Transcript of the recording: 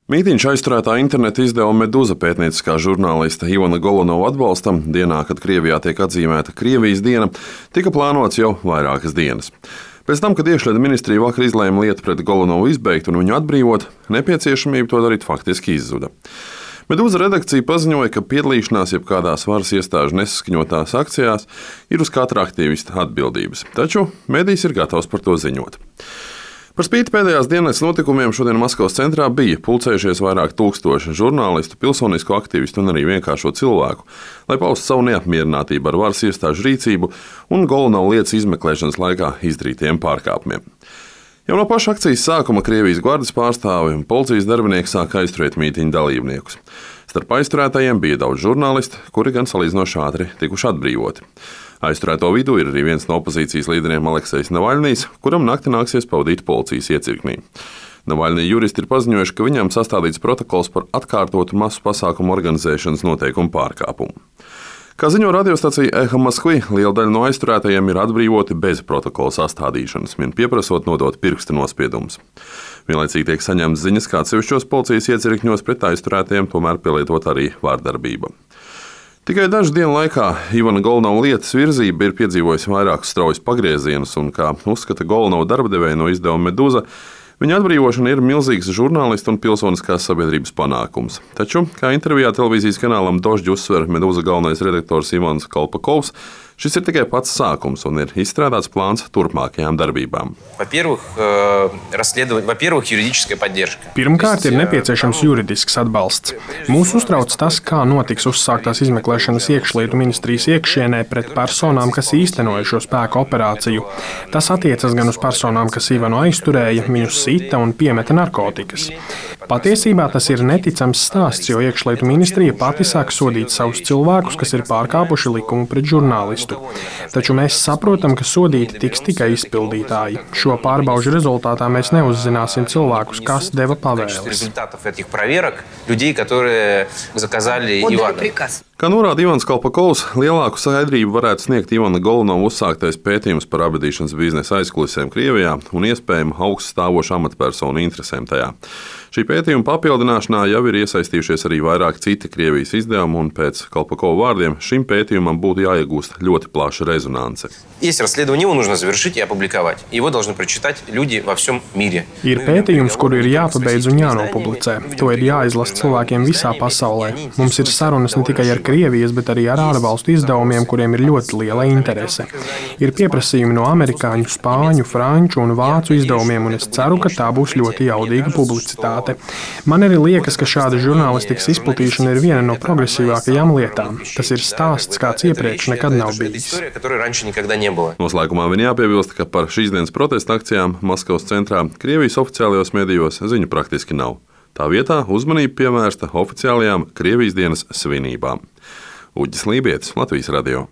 Mītiņš aizturētā interneta izdevuma Meduza pētnieciskā žurnālista Ivana Golunova atbalstam dienā, kad Krievijā tiek atzīmēta Krievijas diena, tika plānots jau vairākas dienas. Pēc tam, kad iekšlietu ministrija vakar izlēma lietu pret Golunovu izbeigt un viņu atbrīvot, nepieciešamība to darīt faktiski izzuda. Meduza redakcija paziņoja, ka piedalīšanās jebkādās varas iestāžu nesaskaņotās akcijās ir uz katra aktīvista atbildības, taču medijs ir gatavs par to ziņot. Par spīti pēdējās dienas notikumiem šodien Maskavas centrā bija pulcējušies vairāk tūkstoši žurnālistu, pilsonisko aktīvistu un arī vienkāršo cilvēku, lai paustu savu neapmierinātību ar varas iestāžu rīcību un Golunovu lietas izmeklēšanas laikā izdarītiem pārkāpumiem. Jau no paša akcijas sākuma Krievijas gvardes pārstāvi un policijas darbinieki sāka aizturēt mītiņu dalībniekus. Starp aizturētajiem bija daudz žurnālistu, kuri gan salīdzinoši ātri tikuši atbrīvoti. Aizturēto vidū ir arī viens no opozīcijas līderiem Aleksejs Navaļnijs, kuram nakti nāksies pavadīt policijas iecirknī. Navaļnija juristi ir paziņojuši, ka viņam sastādīts protokols par atkārtotu masu pasākumu organizēšanas noteikumu pārkāpumu. Kā ziņo radiostacija Eha Moskvi, liela daļa no aizturētajiem ir atbrīvoti bez protokola sastādīšanas, vien pieprasot nodot pirksta nospiedumus. Vienlaicīgi tiek saņemts ziņas, ka atsevišķos policijas iecirkņos pret aizturētajiem tomēr pielietot arī vārdarbība. Tikai dažu dienu laikā Ivana Golunova lietas virzība ir piedzīvojusi vairākus straujus pagriezienus, un, kā uzskata Golunova darbadevēja no izdevuma Meduza, viņa atbrīvošana ir milzīgs žurnālistu un pilsoniskās sabiedrības panākums. Taču, kā intervijā televīzijas kanālam Dožģi uzsver Meduza galvenais redaktors Ivans Kolpakovs, šis ir tikai pats sākums un ir izstrādāts plāns turpmākajām darbībām. Pirmkārt, ir nepieciešams juridisks atbalsts. Mūs uztrauc tas, kā notiks uzsāktās izmeklēšanas iekšlietu ministrijas iekšienē pret personām, kas īstenoja šo spēku operāciju. Tas attiecas gan uz personām, kas Ivanu aizturēja, viņu sita un piemeta narkotikas. Patiesībā tas ir neticams stāsts, jo iekšlietu ministrija pati sāk sodīt savus cilvēkus, kas ir pārkāpuši likumu pret žurnālistu. Taču mēs saprotam, ka sodīti tiks tikai izpildītāji. Šo pārbaužu rezultātā mēs neuzzināsim cilvēkus, kas deva pavēles. Kā norāda Ivans Kolpakovs, lielāku skaidrību varētu sniegt Ivana Golunova uzsāktais pētījums par apbedīšanas biznesa aizkulisēm Krievijā un iespējamu augststāvošu amatpersonu interesēm tajā. Šī pētījuma papildināšanā jau ir iesaistījušies arī vairāk citi Krievijas izdevumi, un pēc Kolpakova vārdiem šim pētījumam būtu jāiegūst ļoti plaša rezonance. Ir pētījums, kuru ir jāpabeidz un jānopublicē. To ir jāizlasa cilvēkiem visā pasaulē. Mums ir sarunas ne tikai ar Krievijas, bet arī ar ārvalstu izdevumiem, kuriem ir ļoti liela interese. Ir pieprasījumi no amerikāņu, spāņu, franču un vācu izdevumiem, un es ceru, ka tā būs ļoti jaudīga publicitāte. Man arī liekas, ka šāda žurnālistikas izplatīšana ir viena no progresīvākajām lietām. Tas ir stāsts, kāds iepriekš nekad nav bijis. Noslēgumā vien jāpiebilst, ka par šīs dienas protesta akcijām Maskavas centrā Krievijas oficiālajos medijos ziņu praktiski nav. Tā vietā uzmanība pievērsta oficiālajām Krievijas dienas svinībām. Uģis Lībietis, Latvijas radio.